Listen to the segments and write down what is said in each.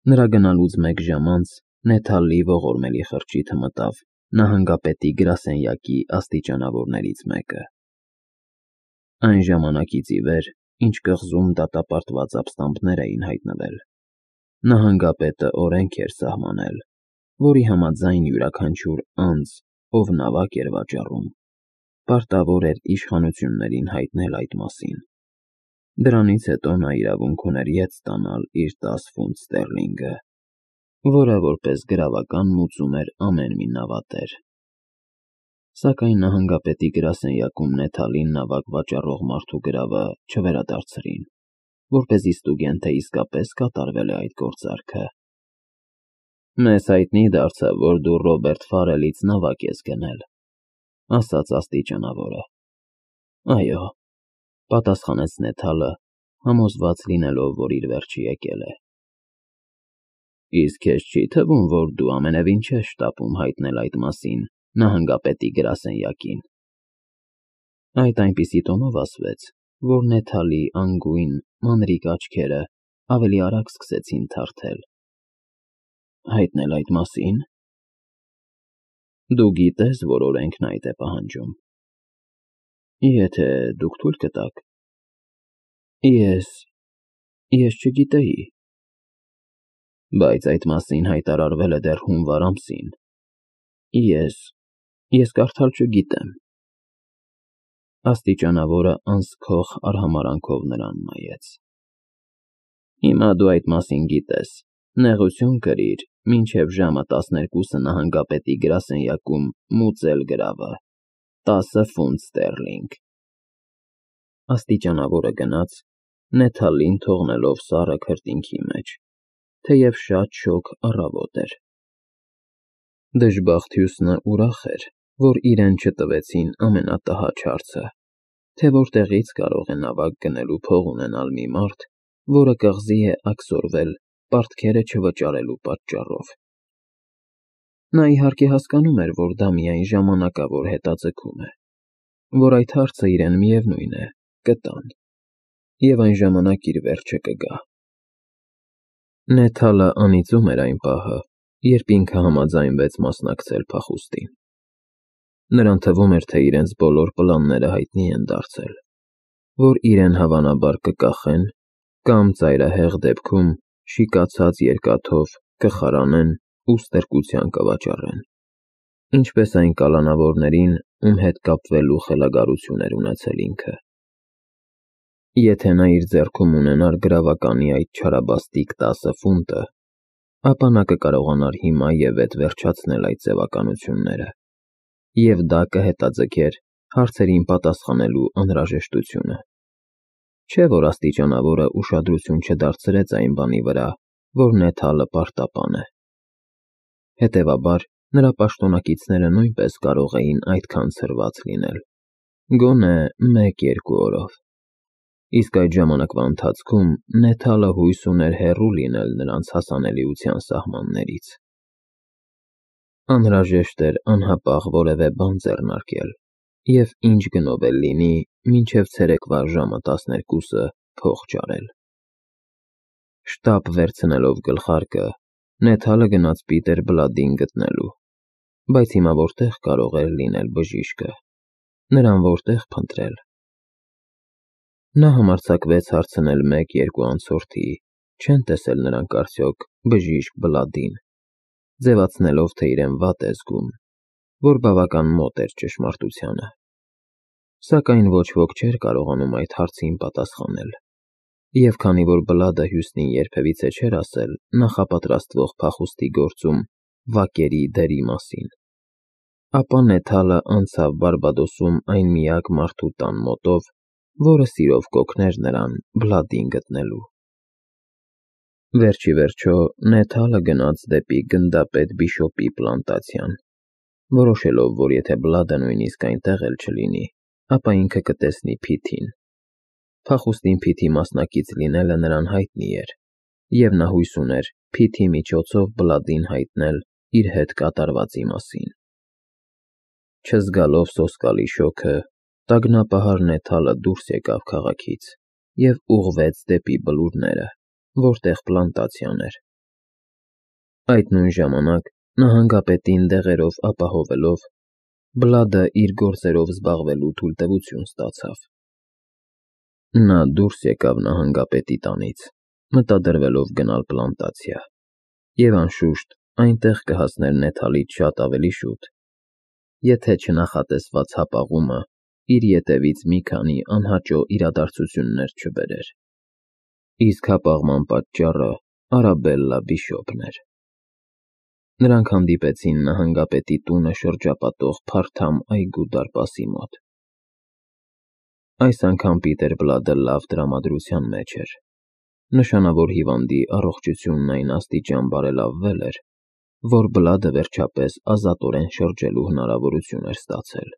Նրա գնալուց մեկ ժամ անց Նեթալի ողորմելի խրճիթը մտավ նահանգապետի գրասենյակի աստիճանավորներից մեկը։ Այն ժամանակից ի վեր, ինչ կղզում դատապարտված ապստամբներ էին հայտնվել, նահանգապետը օրենք էր սահմանել, որի համաձայն յուրաքանչյուր անձ, ով նավակ էր վաճառում, պարտավոր էր իշխանություններին հայտնել այդ մասին։ Դրանից հետո նա իրավունք ուներ ետ ստանալ իր 10 ֆունտ ստերլինգը, որը որպես գրավական մուծում էր ամեն մի նավատեր։ Սակայն նահանգապետի գրասենյակում Նեթալին նավակ վաճառող մարդու գրավը չվերադարձրին, որպեսզի ստուգեն, թե իսկապես կատարվել է այդ գործարքը։ Մեզ հայտնի դարձավ, որ դու Ռոբերտ Ֆարելից նավակ ես գնել, ասաց աստիճանավորը։ Այո, պատասխանեց Նեթալը, համոզված լինելով, որ իր վերջը եկել է։ Իսկ քեզ չի թվում, որ դու ամենևին չես շտապում հայտնել այդ մասին նահանգապետի գրասենյակին։ Այդ այնպիսի տոնով ասվեց, որ Նեթալի անգույն, մանրիկ աչքերը ավելի արագ սկսեցին թարթել։ Հայտնել այդ մասին։ Դու գիտես, որ օրենքն այդ է պահանջում։ Եթե դուք թույլ կտաք։ Ես չգիտեի։ Բայց այդ մասին հայտարարվել է դեռ հունվար ամսին։ Ես կարդալ չգիտեմ։ Աստիճանավորը անսքող արհամարանքով նրան նայեց։ Հիմա դու այդ մասին գիտես, նեղություն կրիր, մինչև ժամը 12-ը նահանգապետի գրասենյակում մուծել գրավը, 10 ֆունտ ստերլինգ։ Աստիճանավորը գնաց, Նեթալին թողնելով սառը քրտինքի մեջ, թեև շատ շոգ առավոտ էր։ Դժբախտ ուրախ էր, որ իրեն չտվեցին ամենատհաճ հարցը, թե որտեղից կարող է նավակ գնելու փող ունենալ մի մարդ, որը կղզի է աքսորվել պարտքերը չվճարելու պատճառով։ Նա իհարկե հասկանում էր, որ դա միայն ժամանակավոր հետաձգում է, որ այդ հարցը իրեն միևնույն է, կտան, և այն ժամանակ իր վերջը կգա։ Նեթալը անիծում էր այն պահը, երբ ինքը համաձայնվեց մասնակցել փախուստին։ Նրան թվում էր, թե իրենց բոլոր պլանները հայտնի են դարձել, որ իրեն հավանաբար կկախեն կամ ծայրահեղ դեպքում շիկացած երկաթով կխարանեն ու ստրկության կվաճառեն, ինչպես այն կալանավորներին, ում հետ կապվելու խելագարություն էր ունեցել ինքը։ Եթե նա իր ձեռքում ունենար գրավականի այդ չարաբաստիկ 10 ֆունտը, ապա նա կկարողանար հիմա և ետ վերջացնել այդ ձևականությունները, և դա կհետաձգեր հարցերին պատասխանելու անհրաժեշտությունը։ Չէ՞ որ աստիճանավորը ուշադրություն չդարձրեց այն բանի վրա, որ Նեթալը պարտապան է։ Հետևաբար, նրա պաշտոնակիցները նույնպես կարող էին այդքան ցրված լինել, գոնե 1-2 օրով։ Իսկ այդ ժամանակվա ընթացքում Նեթալը հույս ուներ հեռու լինել նրանց հասանելիության սահմաններից։ Անհրաժեշտ էր անհապաղ որևէ բան ձեռնարկել և ինչ գնով էլ լինի, մինչև ցերեկվա ժամը 12-ը փող ճարել։ Շտապ վերցնելով գլխարկը, Նեթալը գնաց Պիտեր Բլադին գտնելու, բայց հիմա որտեղ կարող էր լինել բժիշկը, նրան որտեղ փնտրել։ Նա համարձակվեց հարցնել 1-2 անցորդի, չեն տեսել նրանք արդյոք բժիշկ Բլադին, ձևացնելով, թե իրեն վատ է զգում, որ բավական մոտ էր ճշմարտությանը։ Սակայն ոչ ոք չէր կարողանում այդ հարցին պատասխանել, և քանի որ Բլադը Հյուստին երբևիցե չէր ասել նախապատրաստվող փախուստի գործում վակերի դերի մասին, ապա Նեթալը անցավ Բարբադոսում այն միակ մարդու տան մոտով, որը սիրով կօգներ նրան Բլադին գտնելու։ Վերջիվերջո Նեթալը գնաց դեպի գնդապետ Բիշոպի պլանտացիան, որոշելով, որ եթե Բլադը նույնիսկ այնտեղ էլ չլինի, ապա ինքը կտեսնի Փիթին։ Փախուստին Փիթի մասնակից լինելը նրան հայտնի էր, և նա հույս ուներ Փիթի միջոցով Բլադին հայտնել իր հետ կատարվածի մասին։ Չզգալով սոսկալի շոգը, տագնապահար Նեթալը դուրս եկավ քաղաքից և ուղղվեց դեպի բլուրները, որտեղ պլանտացիան էր։ Այդ նույն ժամանակ նահանգապետին դեղերով ապահովելով, Բլադը իր գործերով զբաղվելու թույլտվություն ստացավ։ Նա դուրս եկավ նահանգապետի տանից, մտադրվելով գնալ պլանտացիա, և անշուշտ այնտեղ կհասներ Նեթալից շատ ավելի շուտ, եթե չնախատեսված հապաղումը իր ետևից մի քանի անհաճո իրադարձություններ չբերեր։ Իսկ հապաղման պատճառը Արաբելլա Բիշոպն էր։ Նրանք հանդիպեցին նահանգապետի տունը շրջապատող փարթամ այգու դարպասի մոտ։ Այս անգամ Պիտեր Բլադը լավ տրամադրության մեջ էր։ Նշանավոր հիվանդի առողջությունն այն աստիճան բարելավվել էր, որ Բլադը վերջապես ազատորեն շրջելու հնարավորություն էր ստացել։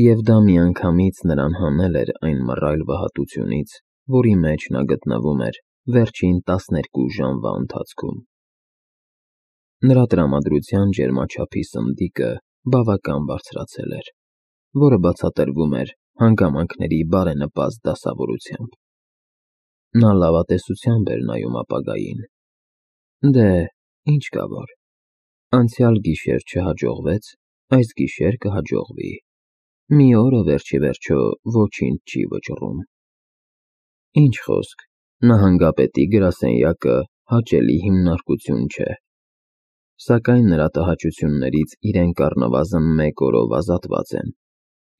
Եվ դա միանգամից նրան հանել էր այն մռայլ վհատությունից, որի մեջ նա գտնվում էր վերջին 12 ժամվա ընթացքում։ Նրա տրամադրության ջերմաչափի սնդիկը բավական բարձրացել էր, որը բացատրվում էր հանգամանքների բարենպաստ դասավորությամբ։ Նա լավատեսությամբ էր նայում ապագային։ Դե, ինչ կա որ։ Անցյալ գիշեր չհաջողվեց, այս գիշեր կհաջողվի։ Մի օրը վերջիվերջո ոչինչ չի վճռում։ Ինչ խոսք, նահանգապետի գրասենյակը հաճելի հիմնարկություն չէ, սակայն նրա տհաճություններից իրենք առնվազն 1 օրով ազատված են,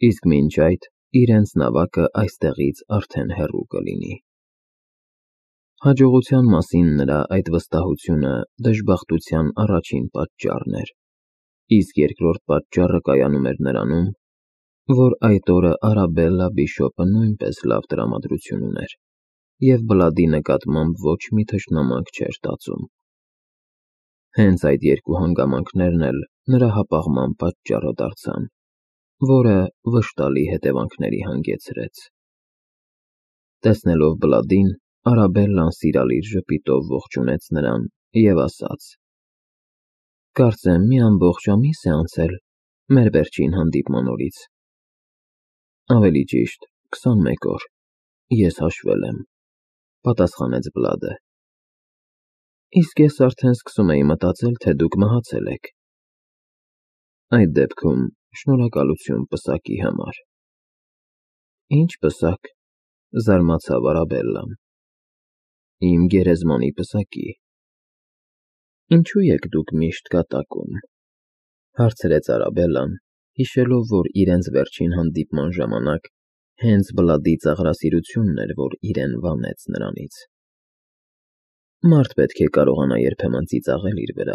իսկ մինչ այդ իրենց նավակը այստեղից արդեն հեռու կլինի։ Հաջողության մասին նրա այդ վստահությունը դժբախտության առաջին պատճառն էր, իսկ երկրորդ պատճառը կայանում էր նրանում, որ այդ օրը Արաբելլա Բիշոպը նույնպես լավ տրամադրություն ուներ և Բլադի նկատմամբ ոչ մի թշնամանք չէր տածում։ Հենց այդ երկու հանգամանքներն էլ նրա հապաղման պատճառը դարձան, որը վշտալի հետևանքների հանգեցրեց։ Տեսնելով Բլադին, Արաբելլան սիրալիր ժպիտով ողջունեց նրան և ասաց. «Կարծեմ մի ամբողջ ամիս է անցել մեր վերջին հանդիպման օրից։ Ավելի ճիշտ, 21 օր, ես հաշվել եմ», պատասխանեց Բլադը։ Իսկ ես արդեն սկսում էի մտածել, թե դուք մահացել եք։ Այդ դեպքում շնորհակալություն պսակի համար։ Ինչ պսակ, զարմացավ Արաբելլան։ Իմ գերեզմանի պսակի։ Ինչու եք դուք միշտ կատակում, հարցրեց Արաբելլան, հիշելով, որ իրենց վերջին հանդիպման ժամանակ հենց Բլադի ծաղրասիրությունն էր, որ իրեն վանեց նրանից։ Մարդ պետք է կարողանա երբեմն ծիծաղել իր վրա,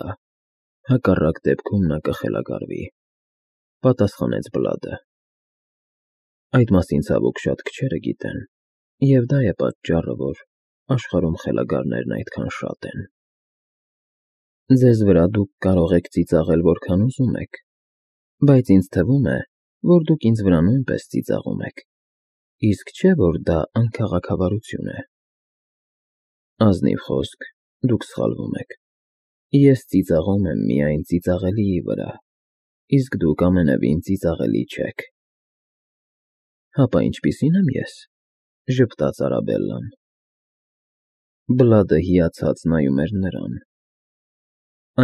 հակառակ դեպքում նա կխելագարվի, պատասխանեց Բլադը։ Այդ մասին ցավոք շատ քչերը գիտեն, և դա է պատճառը, որ աշխարհում խելագարներն այդքան շատ են։ Ձեզ վրա դուք կարող եք ծիծաղել որքան ուզում եք, բայց ինձ թվում է, որ դուք ինձ վրա նույնպես ծիծաղում եք, իսկ չէ՞ որ դա անքաղաքավարություն է։ Ազնիվ խոսք, դուք սխալվում եք։ Ես ծիծաղում եմ միայն ծիծաղելիի վրա, իսկ դուք ամենևին ծիծաղելի չեք։ Հապա ինչպիսի՞ն եմ ես, ժպտաց Արաբելլան։ Բլադը հիացած նայում էր նրան։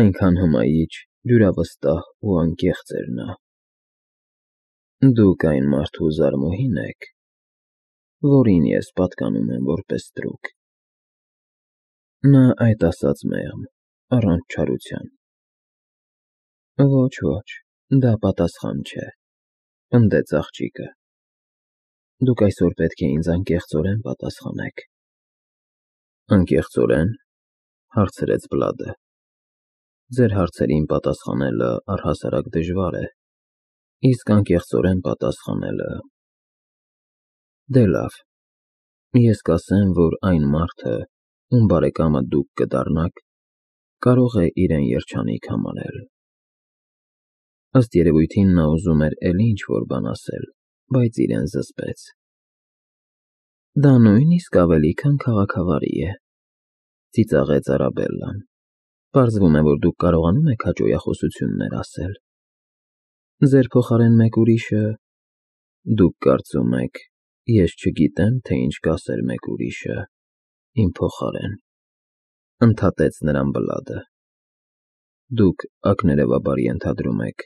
Այնքան հմայիչ, դյուրավստահ ու անկեղծ էր նա։ Դուք այն մարդու զարմուհին եք, որին ես պատկանում եմ որպես ստրուկ։ Նա այդ ասաց մեղմ, առանց չարության։ Ոչ, դա պատասխան չէ, պնդեց աղջիկը։ Դուք այսօր պետք է ինձ անկեղծորեն պատասխանեք։ Անկեղծորեն, հարցրեց Բլադը։ Ձեր հարցերին պատասխանելը առհասարակ դժվար է, իսկ անկեղծորեն պատասխանելը… Դե լավ, ես կասեմ, որ այն մարդը, ում բարեկամը դուք կդառնաք, կարող է իրեն երջանիկ համարել։ Ըստ երևույթին նա ուզում էր էլի ինչ-որ բան ասել, բայց իրեն զսպեց։ Դա նույնիսկ ավելի քան քաղաքավարի է, ծիծաղեց Արաբելլան։ Պարզվում է, որ դուք կարողանում եք հաճոյախոսություններ ասել։ Ձեր փոխարեն մեկ ուրիշը… Դուք կարծում եք, ես չգիտեմ, թե ինչ կասեր մեկ ուրիշը իմ փոխարեն, ընդհատեց նրան Բլադը։ Դուք ակներևաբար ենթադրում եք,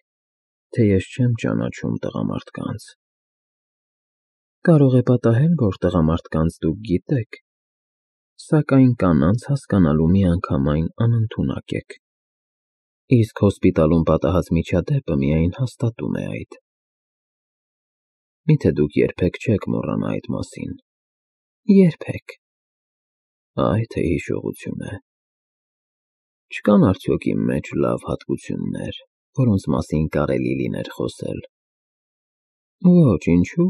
թե ես չեմ ճանաչում տղամարդկանց։ Կարող է պատահել, որ տղամարդկանց դուք գիտեք, սակայն կանանց հասկանալու միանգամայն անընդունակ եք։ Իսկ հոսպիտալում պատահած միջադեպը միայն հաստատում է այդ։ Միթե դուք երբեք չեք մոռանա այդ մասին։ Երբեք։ Այ թե հիշողություն է։ Չկան արդյոք իմ մեջ լավ հատկություններ, որոնց մասին կարելի լիներ խոսել։ Ոչ, ինչու՞։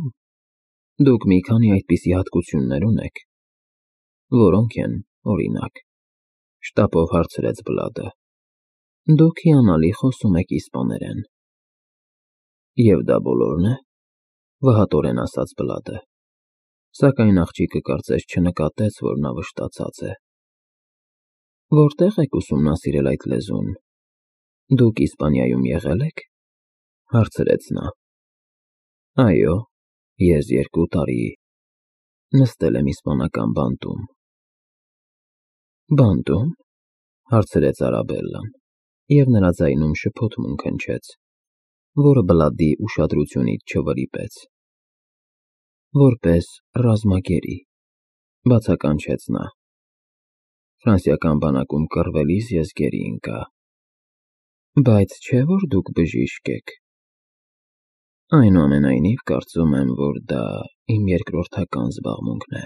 Դուք մի քանի այդպիսի հատկություններ ունեք, որոնք են, օրինակ, շտապով հարցրեց Բլադը։ Դուք հիանալի խոսում եք իսպաներեն։ Եվ դա բոլորն է, վհատորեն ասաց Բլադը, սակայն աղջիկը կարծես չնկատեց, որ նա վշտացած է։ Որտեղ եք ուսումնասիրել այդ լեզուն։ Դուք Իսպանիայում եղել եք, հարցրեց նա։ Այո, ես 2 տարի նստել եմ իսպանական բանտում։ Բանտում, հարցրեց Արաբելլան, և նրա ձայնում շփոթմունք հնչեց, որը Բլադի ուշադրությունից չվրիպեց։ Որպես ռազմագերի, բացականչեց նա։ Ֆրանսիական բանակում կռվելիս ես գերի ընկա։ Բայց չէ՞ որ դուք բժիշկ եք։ Այնուամենայնիվ, կարծում եմ, որ դա իմ երկրորդական զբաղմունքն է։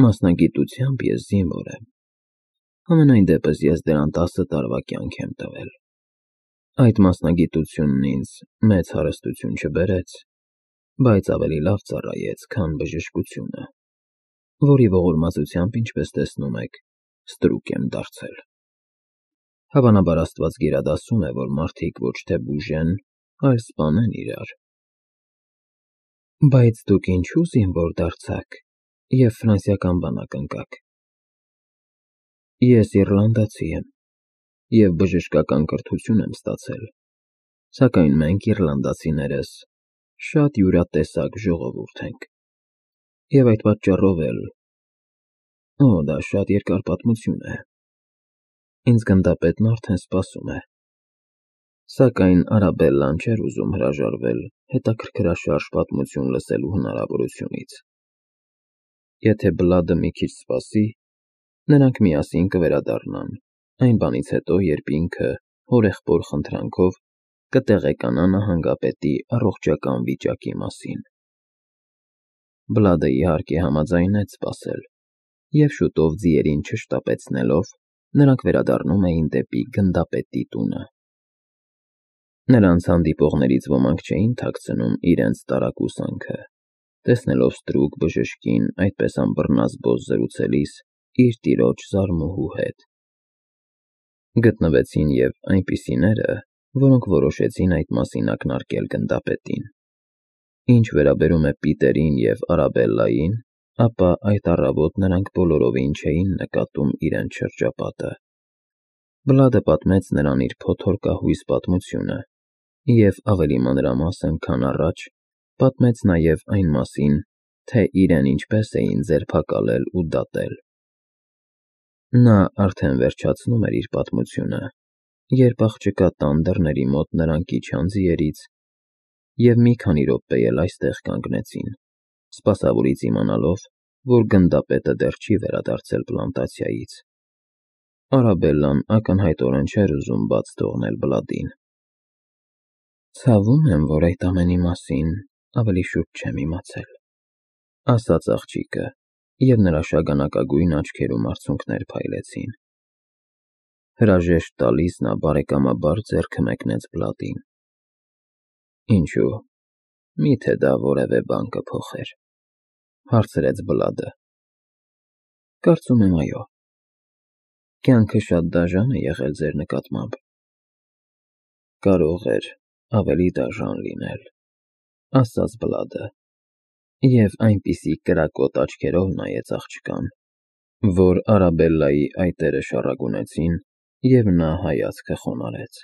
Մասնագիտությամբ ես զինվոր եմ։ Համենայն դեպս ես դրան 10 տարվա կյանք եմ տվել։ Այդ մասնագիտությունն ինձ մեծ հարստություն չբերեց, բայց ավելի լավ ծառայեց, քան բժշկությունը, որի ողորմածությամբ, ինչպես տեսնում եք, ստրուկ եմ դարձել։ Հավանաբար Աստված գերադասում է, որ մարդիկ ոչ թե բուժեն, այլ սպանեն իրար։ Բայց դուք ինչու զինվոր դարձաք և ֆրանսիական բանակ ընկաք։ Ես իռլանդացի եմ և բժշկական կրթություն եմ ստացել, սակայն մենք իռլանդացիներս շատ յուրատեսակ ժողովուրդ ենք, և այդ պատճառով էլ… Օ, դա շատ երկար պատմություն է։ Ինձ գնդապետն արդեն սպասում է։ Սակայն Արաբելլան չէր ուզում հրաժարվել հետաքրքրաշարժ պատմություն լսելու հնարավորությունից։ Եթե Բլադը մի քիչ սպասի, նրանք միասին կվերադառնան այն բանից հետո, երբ ինքը հորեղբոր խնդրանքով կտեղեկանա նահանգապետի առողջական վիճակի մասին։ Բլադը իհարկե համաձայնեց սպասել, և շուտով ձիերին չշտապեցնելով, նրանք վերադառնում էին դեպի գնդապետի տունը։ Նրանց հանդիպողներից ոմանք չէին թաքցնում իրենց տարակուսանքը, տեսնելով ստրուկ բժշկին այդպես անբռնազբոս զրուցելիս իր տիրոջ զարմուհու հետ։ Գտնվեցին և այնպիսիները, որոնք որոշեցին այդ մասին ակնարկել գնդապետին։ Ինչ վերաբերում է Պիտերին և Արաբելլային, ապա այդ առավոտ նրանք բոլորովին չէին նկատում իրենց շրջապատը։ Բլադը պատմեց նրան իր փոթորկահույս պատմությունը և ավելի մանրամասն, քան առաջ, պատմեց նաև այն մասին, թե իրեն ինչպես էին ձերբակալել ու դատել։ Նա արդեն վերջացնում էր իր պատմությունը, երբ աղջկա տան դռների մոտ նրանք իջան ձիերից և մի քանի րոպե էլ այստեղ կանգնեցին, սպասավորից իմանալով, որ գնդապետը դեռ չի վերադարձել պլանտացիայից։ Արաբելլան ակնհայտորեն չէր ուզում բաց թողնել Բլադին։ Ցավում եմ, որ այդ ամենի մասին ավելի շուտ չեմ իմացել, ասաց աղջիկը, և նրա շագանակագույն աչքերում արցունքներ փայլեցին։ Հրաժեշտ տալիս նա բարեկամաբար ձեռքը մեկնեց Բլադին։ Ինչո՞ւ, միթե դա որևէ բան կփոխեր, հարցրեց Բլադը։ Կարծում եմ, այո։ Կյանքը շատ դաժան է եղել ձեր նկատմամբ։ Կարող էր ավելի դաժան լինել, ասաց Բլադը, և այնպիսի կրակոտ աչքերով նայեց աղջկան, որ Արաբելլայի այտերը շառագունեցին, և նա հայացքը խոնարհեց։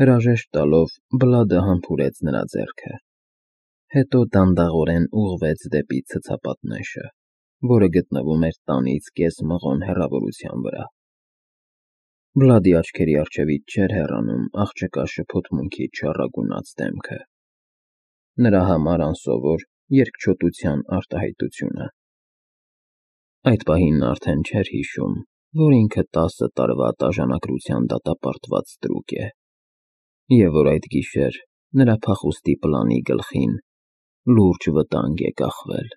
Հրաժեշտ տալով Բլադը համբուրեց նրա ձեռքը, հետո դանդաղորեն ուղղվեց դեպի ցցապատնեշը, որը գտնվում էր տանից կես մղոն հեռավորության վրա։ Վլադի աչքերի առջևից չէր հեռանում աղջկա շփոթմունքից չառագունած դեմքը, նրա համար անսովոր երկչոտության արտահայտությունը։ Այդ պահին նա արդեն չէր հիշում, որ ինքը 10 տարվա տաժանակրության դատապարտված ստրուկ է, և որ այդ գիշեր նրա փախուստի պլանի գլխին լուրջ վտանգ է կախվել։